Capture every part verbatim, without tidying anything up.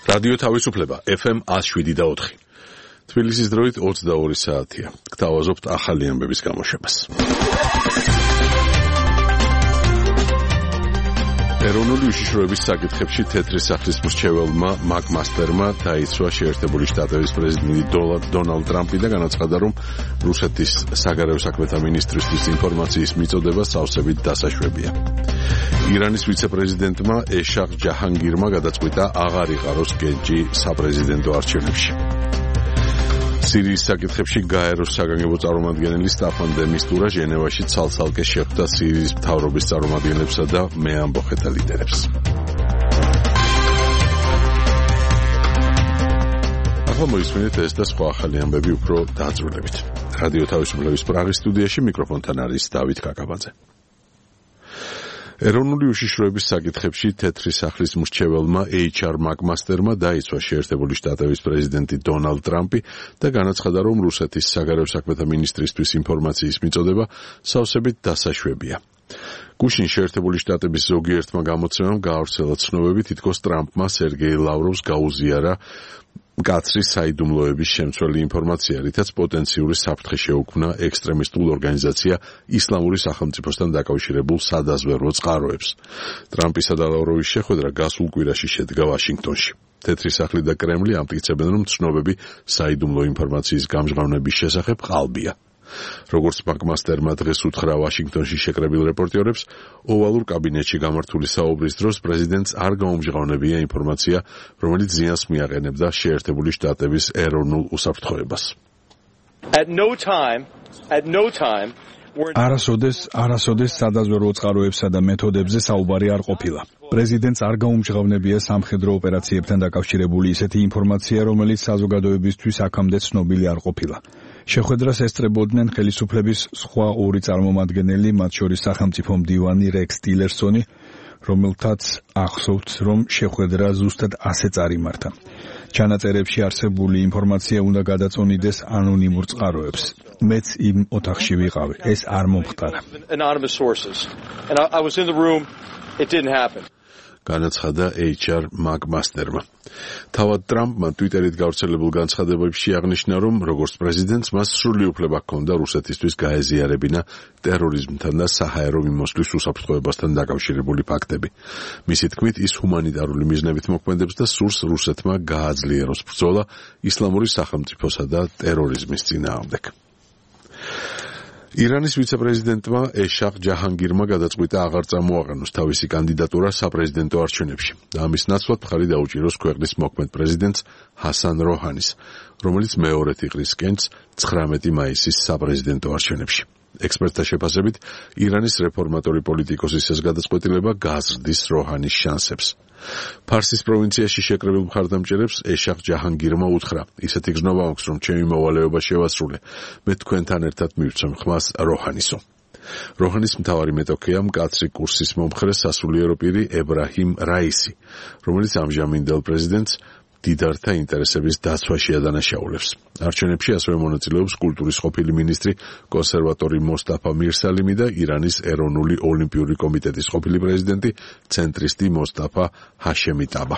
რადიო თავისუფლება ეფ ემ ათს შვიდი და ოთხი. თბილისის დროით ოცდაორი საათია. გთავაზობთ ახალი ამბების გამოშვებას. ეროვნული უშიშროების საკითხებში თეთრი სახლის მრჩეველმა მაკ მასტერმა დაიცვა შეერთებული შტატების პრეზიდენტი დონალდ ტრამპი და განაცხადა, რომ რუსეთის საგარეო საქმეთა მინისტრისთვის ინფორმაციის მიწოდება სავსებით დასაშვებია. ირანის ვიცე-პრეზიდენტმა ეშაღ ჯაჰანგირმა გადაწყვიტა აღარ იყაროს გენჯი საპრეზიდენტო არჩევნებში. სირიის საკითხებში გაეროს საგანგებო წარმომადგენელი სტაფან დე მისტურა ჟენევაში ცალ-ცალკე შეხვდა სირიის მთავრობის წარმომადგენლებსა და მეამბოხეთა ლიდერებს. ახლა მოისმინეთ ეს და სხვა ახალი ამბები უფრო დაწვრილებით. რადიო თავისუფლების პრაღის სტუდიაში მიკროფონთან არის დავით კაკაბაძე. ეროვნული უშიშროების საკითხებში თეთრი სახლის მრჩეველმა ეიჩ არ მაკ მასტერმა დაიცვა შეერთებული შტატების პრეზიდენტი დონალდ ტრამპი და განაცხადა, რომ რუსეთის საგარეო საქმეთა მინისტრისთვის ინფორმაციის მიწოდება სავსებით დასაშვებია. გუშინ შეერთებული შტატების ზოგიერთმა გამოცემამ გაავრცელა ცნობები, თითქოს ტრამპმა სერგეი ლავროვს გაუზიარა მკაცრი საიდუმლოების შემცველი ინფორმაცია, რითაც პოტენციური საფრთხე შეუქმნა ექსტრემისტულ ორგანიზაცია ისლამური სახელმწიფოსთან დაკავშირებულ სადაზვერვო წყაროებს. ტრამპისა და ლავროვის შეხვედრა გასულ კვირაში შედგა ვაშინგტონში. თეთრი სახლი და კრემლი ამტკიცებენ, რომ ცნობები საიდუმლო ინფორმაციის გამჟღავნების შესახებ ყალბია. როგორც მაკ მასტერმა დღეს უთხრა ვაშინგტონში შეკრებილ რეპორტიორებს, ოვალურ კაბინეტში გამართული საუბრის დროს პრეზიდენტს არ გაუმჟღავნებია ინფორმაცია, რომელიც ზიანს მიაყენებდა შეერთებული შტატების ეროვნულ უსაფრთხოებას. At no time, at no time არასოდეს, არასოდეს სადაზვერვო წყაროებსა და მეთოდებზე საუბარი არ ყოფილა. პრეზიდენტს არ გაუმჟღავნებია სამხედრო ოპერაციებთან დაკავშირებული ისეთი ინფორმაცია, რომელიც საზოგადოებისთვის აქამდე ცნობილი არ ყოფილა. შეხვედრას ესწრებოდნენ ხელისუფლების სხვა ორი წარმომადგენელი, მათ შორის სახელმწიფო მდივანი რექს ტილერსონი, რომელთაც ახსოვთ, რომ შეხვედრა ზუსტად ასე წარიმართა. ჩანაწერებში არსებული ინფორმაცია უნდა გადაწონიდეს ანონიმურ წყაროებს. მეც იმ ოთახში ვიყავი. ეს არ მომხდარა. განაცხადა ეიჩ არ მაკ მასტერმა. თავად ტრამპმა ტვიტერით გავრცელებულ განცხადებებში აღნიშნა, რომ როგორც პრეზიდენტს მას სრული უფლება ჰქონდა რუსეთისთვის გაეზიარებინა ტერორიზმთან და საჰაერო მიმოსვლის უსაფრთხოებასთან დაკავშირებული ფაქტები. მისი თქმით, ის ჰუმანიტარული მიზნებით მოქმედებს და სურს რუსეთმა გააძლიეროს ბრძოლა ისლამური სახელმწიფოსა და ტერორიზმის წინააღმდეგ. ირანის ვიცე-პრეზიდენტმა ეშაღ ჯაჰანგირმა გადაწყვიტა აღარ წამოაყენოს თავისი კანდიდატურა საპრეზიდენტო არჩევნებში და ამის ნაცვლად მხარი დაუჭიროს ქვეყნის მოქმედ პრეზიდენტს ჰასან როჰანის, რომელიც მეორედ იყრის კენჭს ცხრამეტი მაისის საპრეზიდენტო არჩევნებში. ექსპერტთა შეფასებით, ირანის რეფორმატორი პოლიტიკოსის ეს გადაწყვეტილება გაზრდის როჰანის შანსებს. ფარსის პროვინციაში შეკრებილ მხარდამჭერებს ეშაღ ჯაჰანგირმა უთხრა, ისეთი გზნობა მაქვს, რომ ჩემი მოვალეობა შევასრულე, მე თქვენთან ერთად მივცემ ხმას როჰანისო. როჰანის მთავარი მეტოქეა მკაცრი კურსის მომხრე სასულიერო პირი ებრაჰიმ რაისი, რომელიც ამჟამინდელ პრეზიდენტს დიდართა ინტერესების დაცვაში ადანაშაულებს. არჩევნებში ასევე მონაწილეობს კულტურის ყოფილი მინისტრი კონსერვატორი მოსტაფა მირსალიმი და ირანის ეროვნული ოლიმპიური კომიტეტის ყოფილი პრეზიდენტი ცენტრისტი მოსტაფა ჰაშემიტაბა.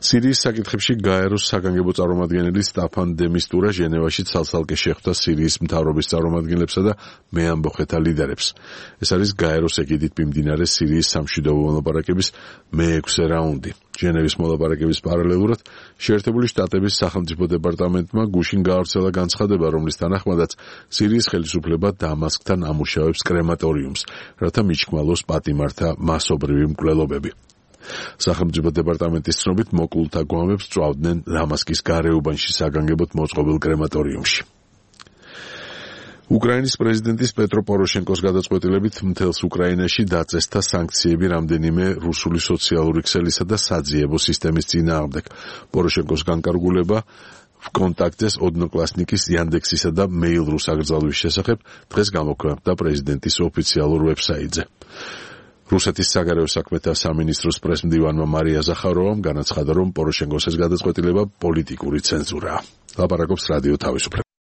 სირიის საკითხებში გაეროს საგანგებო წარმომადგენელი სტაფან დე მისტურა ჟენევაში ცალ-ცალკე შეხვდა სირიის მთავრობის წარმომადგენლებსა და მეამბოხეთა ლიდერებს. ეს არის გაეროს ეგიდით მიმდინარე სირიის სამშვიდობო მოლაპარაკების მეექვსე რაუნდი. ჟენევის მოლაპარაკების პარალელურად შეერთებული შტატების სახელმწიფო დეპარტამენტმა გუშინ გაავრცელა განცხადება, რომლის თანახმადაც სირიის ხელისუფლება დამასკთან ამუშავებს კრემატორიუმს, რათა მიჩქმალოს პატიმართა მასობრივი მკვლელობები. სახელმწიფო დეპარტამენტის ცნობით მოკლულთა გვამებს წვავდნენ დამასკის გარეუბანში საგანგებოდ მოწყობილ კრემატორიუმში. უკრაინის პრეზიდენტის პეტრო პოროშენკოს გადაწყვეტილებით მთელს უკრაინაში დაწესდა სანქციები რამდენიმე რუსული სოციალური ქსელისა და საძიებო სისტემის წინააღმდეგ. პოროშენკოს განკარგულება ვკონტაქტეს ოდნოკლასნიკის იანდექსისა და მეილ.რუ საგრძალვის შესახებ დღეს გამოქვეყნდა პრეზიდენტის ოფიციალურ ვებსაიტზე. რუსეთის საგარეო საქმეთა სამინისტროს პრესმდივანმა მარია ზახაროვამ განაცხადა, რომ პოროშენკოს ეს გადაწყვეტილება პოლიტიკური ცენზურაა. ლაპარაკობს რადიო თავისუფლება.